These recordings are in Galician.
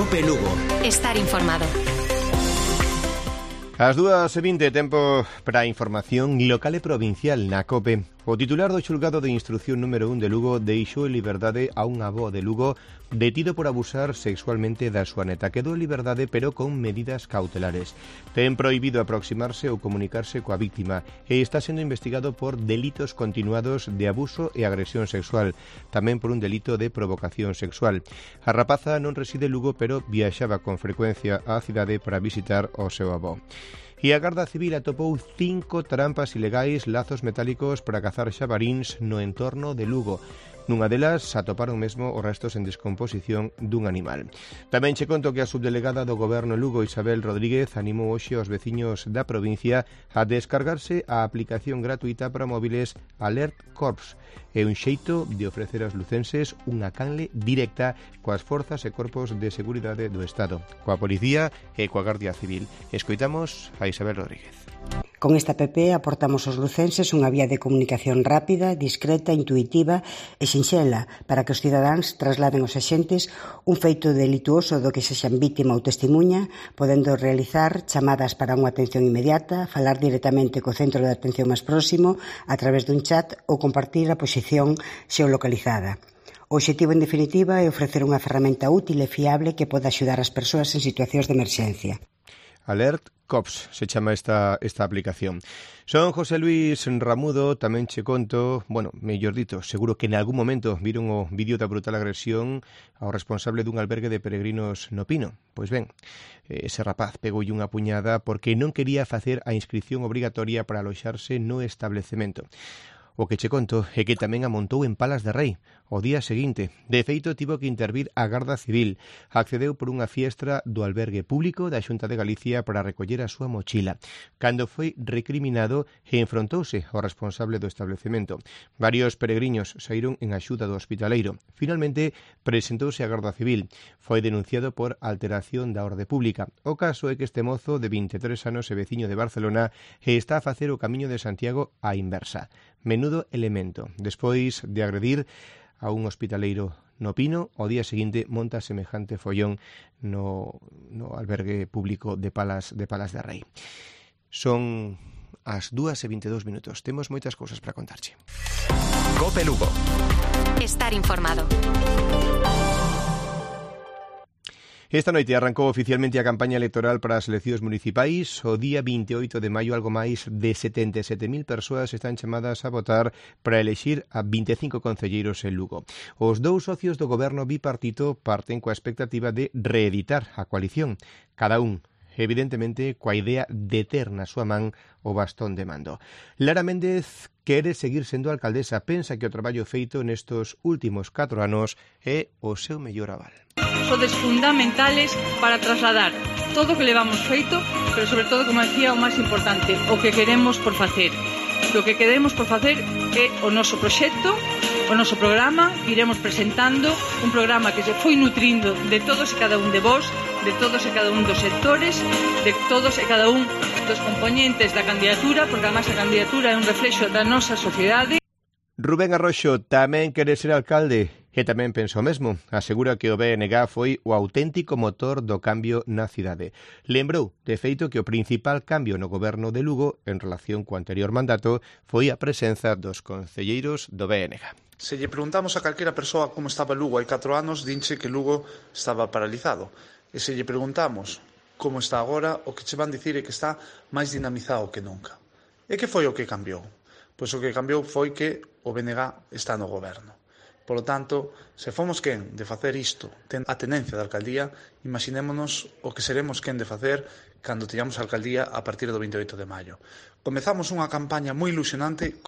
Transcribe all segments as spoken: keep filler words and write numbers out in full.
Cope Lugo. Estar informado. As dúas e vinte, tempo para a información local e provincial na COPE. O titular do xulgado de instrucción número un de Lugo deixou en liberdade a un avó de Lugo detido por abusar sexualmente da súa neta. Quedou en liberdade, pero con medidas cautelares. Ten prohibido aproximarse ou comunicarse coa víctima e está sendo investigado por delitos continuados de abuso e agresión sexual, tamén por un delito de provocación sexual. A rapaza non reside en Lugo, pero viaxaba con frecuencia á cidade para visitar o seu avó. E a Garda Civil atopou cinco trampas ilegais, lazos metálicos para cazar xabaríns no entorno de Lugo. Nunha delas atoparon mesmo os restos en descomposición dun animal. Tamén che conto que a subdelegada do Goberno Lugo, Isabel Rodríguez, animou hoxe aos veciños da provincia a descargarse a aplicación gratuita para móviles Alert Corps. É un xeito de ofrecer aos lucenses unha canle directa coas forzas e corpos de seguridade do Estado, coa Policía e coa Gardia Civil. Escoitamos a Isabel Rodríguez. Con esta app aportamos aos lucenses unha vía de comunicación rápida, discreta, intuitiva e sinxela para que os cidadáns trasladen aos axentes un feito delituoso do que sexan vítima ou testemunha, podendo realizar chamadas para unha atención inmediata, falar directamente co centro de atención máis próximo a través dun chat ou compartir a posición xeolocalizada. O obxectivo, en definitiva, é ofrecer unha ferramenta útil e fiable que poda axudar as persoas en situacións de emerxencia. Alert Cops se chama esta, esta aplicación. Son José Luis Ramudo, tamén che conto, bueno, mellor dito, seguro que en algún momento viron o vídeo da brutal agresión ao responsable dun albergue de peregrinos no Pino. Pois ben, ese rapaz pegoulle unha puñada porque non quería facer a inscripción obrigatoria para aloxarse no establecemento. O que che conto é que tamén amontou en Palas de Rei o día seguinte. De feito, tivo que intervir a Garda Civil. Accedeu por unha fiestra do albergue público da Xunta de Galicia para recoller a súa mochila. Cando foi recriminado, enfrontouse ao responsable do establecemento. Varios peregrinos saíron en axuda do hospitaleiro. Finalmente, presentouse a Garda Civil. Foi denunciado por alteración da orde pública. O caso é que este mozo de vinte e tres anos e veciño de Barcelona está a facer o camiño de Santiago á inversa. Menudo elemento. Despois de agredir a un hospitaleiro no Pino, o día seguinte monta semejante follón no, no albergue público de Palas de Palas de Rei. Son as dúas e vinte e dous minutos. Temos moitas cousas para contarche. Cope Lugo. Estar informado. Esta noite arrancou oficialmente a campaña electoral para as eleccións municipais. O día vinte e oito de maio, algo máis de setenta e sete mil persoas están chamadas a votar para elexir a vinte e cinco concelleiros en Lugo. Os dous socios do goberno bipartito parten coa expectativa de reeditar a coalición. Cada un, evidentemente, coa idea de ter na súa man o bastón de mando. Lara Méndez quere seguir sendo alcaldesa. Pensa que o traballo feito nestos últimos catro anos é o seu mellor aval. Sodes fundamentales para trasladar todo o que levamos feito, pero sobre todo, como decía, o máis importante, o que queremos por facer. O que queremos por facer é o noso proxecto, o noso programa, que iremos presentando, un programa que se foi nutrindo de todos e cada un de vós, de todos e cada un dos sectores, de todos e cada un dos componentes da candidatura, porque además a candidatura é un reflexo da nosa sociedade. Rubén Arroxo tamén quere ser alcalde e tamén pensa o mesmo. Asegura que o B N G foi o auténtico motor do cambio na cidade. Lembrou, de feito, que o principal cambio no goberno de Lugo en relación co anterior mandato foi a presenza dos concelleiros do B N G. Se lle preguntamos a calquera persoa como estaba Lugo hai catro anos, dinche que Lugo estaba paralizado. E se lle preguntamos como está agora, o que che van dicir é que está máis dinamizado que nunca. E que foi o que cambiou? Pois o que cambiou foi que o B N G está no goberno. Por lo tanto, se fomos quen de facer isto, ten a tenencia da alcaldía, imaginémonos o que seremos quen de facer cando teñamos a alcaldía a partir do vinte e oito de maio. Comezamos unha campaña moi ilusionante.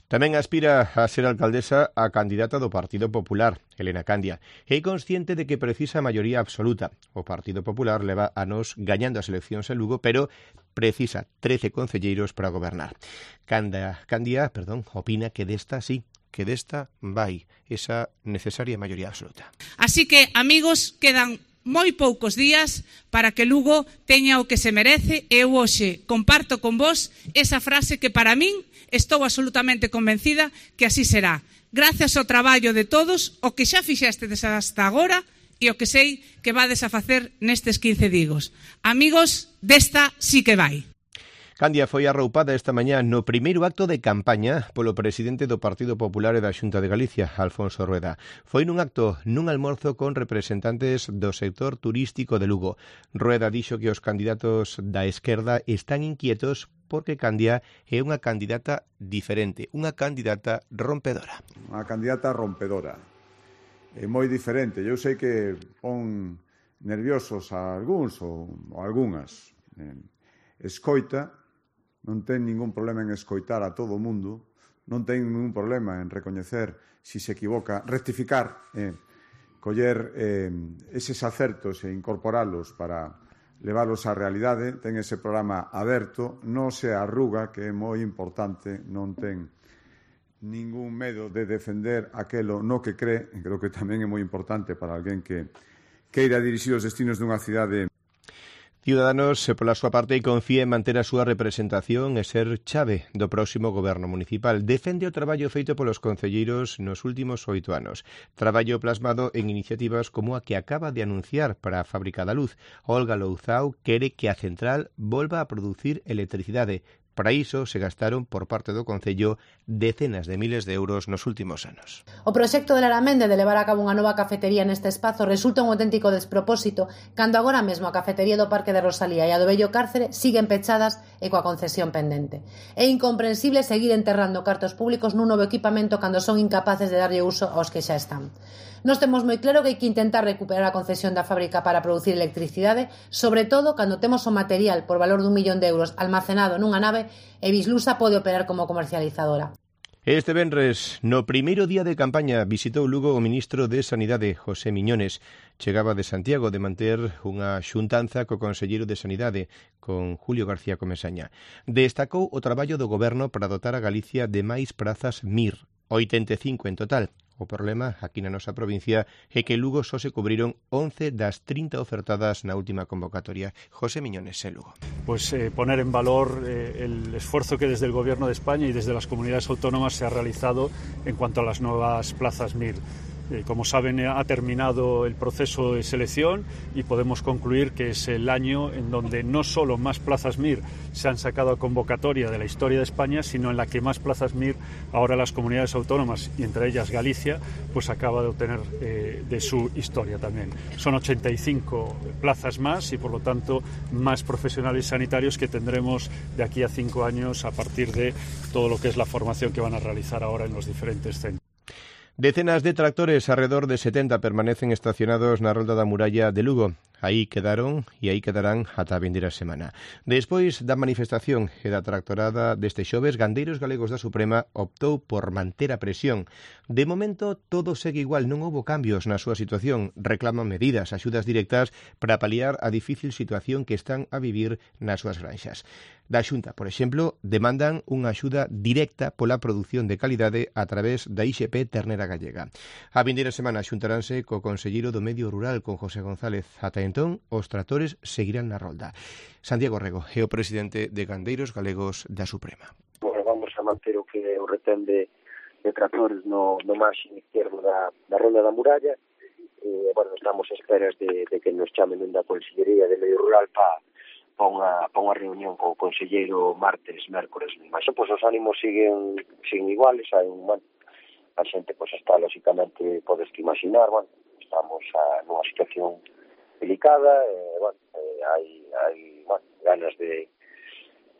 Tamén aspira a ser alcaldesa a candidata do Partido Popular, Elena Candia. É consciente de que precisa a maioría absoluta. O Partido Popular leva anos gañando as eleccións en Lugo, pero precisa trece concelleiros para gobernar. Candia, Candia, perdón, opina que desta sí, que desta vai esa necesaria maioría absoluta. Así que, amigos, quedan moi poucos días para que Lugo teña o que se merece e eu hoxe comparto con vos esa frase que para min estou absolutamente convencida que así será. Gracias ao traballo de todos, o que xa fixestes hasta agora, e o que sei que vades a facer nestes quince digos. Amigos, desta sí que vai. Candia foi arroupada esta mañá no primeiro acto de campaña polo presidente do Partido Popular e da Xunta de Galicia, Alfonso Rueda. Foi nun acto nun almorzo con representantes do sector turístico de Lugo. Rueda dixo que os candidatos da esquerda están inquietos porque Candia é unha candidata diferente, unha candidata rompedora. Unha candidata rompedora. É moi diferente. Eu sei que pon nerviosos a algúns ou, ou algunhas. Eh, escoita, non ten ningún problema en escoitar a todo o mundo, non ten ningún problema en recoñecer si se equivoca, rectificar, eh, coller eh, eses acertos e incorporalos para leválos á realidade, ten ese programa aberto, non se arruga, que é moi importante, non ten ningún medo de defender aquelo no que cree, e creo que tamén é moi importante para alguén que queira dirixir os destinos dunha cidade. Ciudadanos, pola súa parte, confía en manter a súa representación e ser chave do próximo goberno municipal. Defende o traballo feito polos concelleiros nos últimos oito anos. Traballo plasmado en iniciativas como a que acaba de anunciar para a Fábrica da Luz. Olga Louzao quere que a central volva a producir electricidade. Para iso se gastaron por parte do Concello decenas de miles de euros nos últimos anos. O proxecto de Laramende de levar a cabo unha nova cafetería neste espazo resulta un auténtico despropósito cando agora mesmo a cafetería do Parque de Rosalía e a do Bello Cárcere siguen pechadas e coa concesión pendente. É incomprensible seguir enterrando cartos públicos nun novo equipamento cando son incapaces de darlle uso aos que xa están. Nós temos moi claro que hai que intentar recuperar a concesión da fábrica para producir electricidade, sobre todo cando temos o material por valor dun millón de euros almacenado nunha nave e Bislusa pode operar como comercializadora. Este venres, no primeiro día de campaña, visitou Lugo o ministro de Sanidade, José Miñones. Chegaba de Santiago de manter unha xuntanza co conselleiro de Sanidade, con Julio García Comesaña. Destacou o traballo do goberno para dotar a Galicia de máis prazas M I R, oitenta e cinco en total. O problema aquí na nosa provincia é que Lugo só se cubriron once das trinta ofertadas na última convocatoria. José Miñones, en Lugo. Pues eh, poner en valor eh, el esfuerzo que desde el Gobierno de España y desde las comunidades autónomas se ha realizado en cuanto a las nuevas plazas M I R. Eh, como saben, ha terminado el proceso de selección y podemos concluir que es el año en donde no solo más plazas M I R se han sacado a convocatoria de la historia de España, sino en la que más plazas M I R ahora las comunidades autónomas, y entre ellas Galicia, pues acaba de obtener eh, de su historia también. Son ochenta y cinco plazas más y, por lo tanto, más profesionales sanitarios que tendremos de aquí a cinco años a partir de todo lo que es la formación que van a realizar ahora en los diferentes centros. Decenas de tractores, alrededor de setenta, permanecen estacionados na rolda da muralla de Lugo. Aí quedaron e aí quedarán ata a vindeira semana. Despois da manifestación e da tractorada deste xoves, Gandeiros Galegos da Suprema optou por manter a presión. De momento, todo segue igual, non houbo cambios na súa situación. Reclaman medidas, axudas directas para paliar a difícil situación que están a vivir nas súas granxas. Da Xunta, por exemplo, demandan unha axuda directa pola produción de calidade a través da I X P Ternera Gallega. A vindeira semana xuntaranse co conselleiro do Medio Rural, con José González. Ata entón, os tractores seguirán na rolda. Santiago Rego é o presidente de Gandeiros Galegos da Suprema. Bueno, vamos a manter o que o retén de, de tractores no, no marxen izquierdo da, da rolda da muralla. E, bueno, estamos a esperas de, de que nos chamen da Consellería de Medio Rural para pa unha, pa unha reunión co conselleiro martes, mércores. Mas, pois, os ánimos siguen, siguen iguales. Hai un, bueno, a xente, pois, está, lógicamente, podes que imaginar, bueno, estamos a, nunha situación delicada, eh, bueno, eh, hai, hai bueno, ganas de,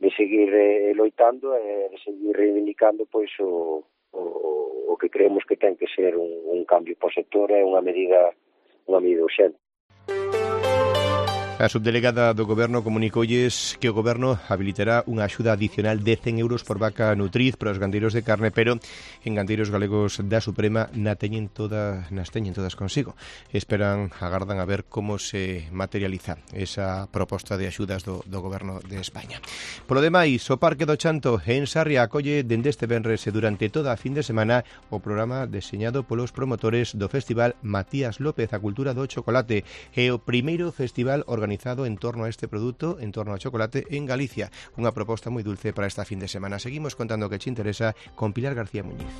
de seguir eh, loitando e eh, de seguir reivindicando pois o, o, o que creemos que ten que ser un, un cambio para o sector e unha medida unha medida urxente. A subdelegada do Goberno comunicoulles que o Goberno habilitará unha axuda adicional de cen euros por vaca nutriz para os gandeiros de carne, pero en Gandeiros Galegos da Suprema na teñen todas, nas teñen todas consigo. Esperan, agardan a ver como se materializa esa proposta de axudas do, do Goberno de España. Polo demais, o Parque do Chanto en Sarria acolle dende este venres e durante toda a fin de semana o programa deseñado polos promotores do Festival Matías López, a cultura do chocolate, e o primeiro festival organizado en torno a este produto, en torno ao chocolate en Galicia. Unha proposta moi dulce para esta fin de semana. Seguimos contando o que che interesa con Pilar García Muñiz.